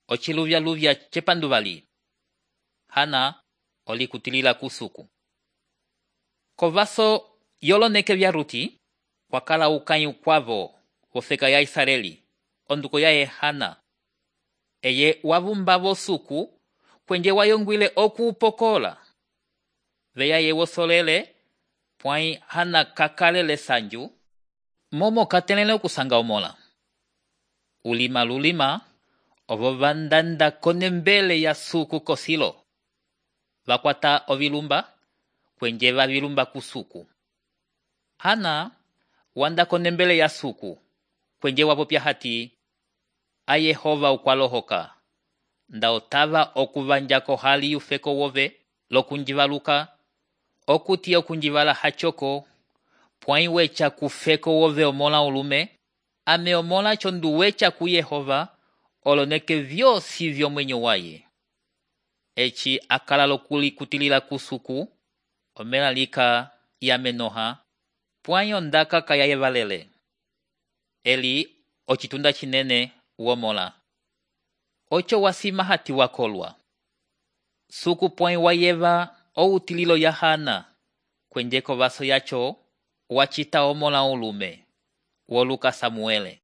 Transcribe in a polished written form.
ociluvya-luvya cepanduvali. Hana olikutilila kusuku. Kovaso yoloneke vya Ruti, kwakala ukãyi ukwavo wofeka ya Israeli, onduko yaye Hana. Eye wavumbavo suku, kwenje wayongwile okuupokola. Veyaye wosolele, pwãyi Hana kakalele sanju, momo katelele okusanga omola. Ulima lulima, ovo vandanda konembele ya suku kosilo. Vakwata ovilumba, kwenje vavilumba kusuku. Hana wanda konembele ya suku, kwenje wapopya hati, a Yehova ukwalohoka, nda otava okuvanjako hali yufeko wove, lokunjivaluka, okuti okunjivala hachoko, pwãyi wecha kufeko wove omola ulume, ame omola chondu wecha ku Yehova, oloneke vyosi vyomwenyo waye. Eci akala lokulikutilila kusuku, omela lika yamenoha, pwãyi ondaka kayayevalele. Eli ocitunda cinene womola. Ocho wasima hati wakolwa. Suku pwãyi wayeva outililo ya Hana, kwenje kovaso yacho, wacita omola ulume, woluka Samuele.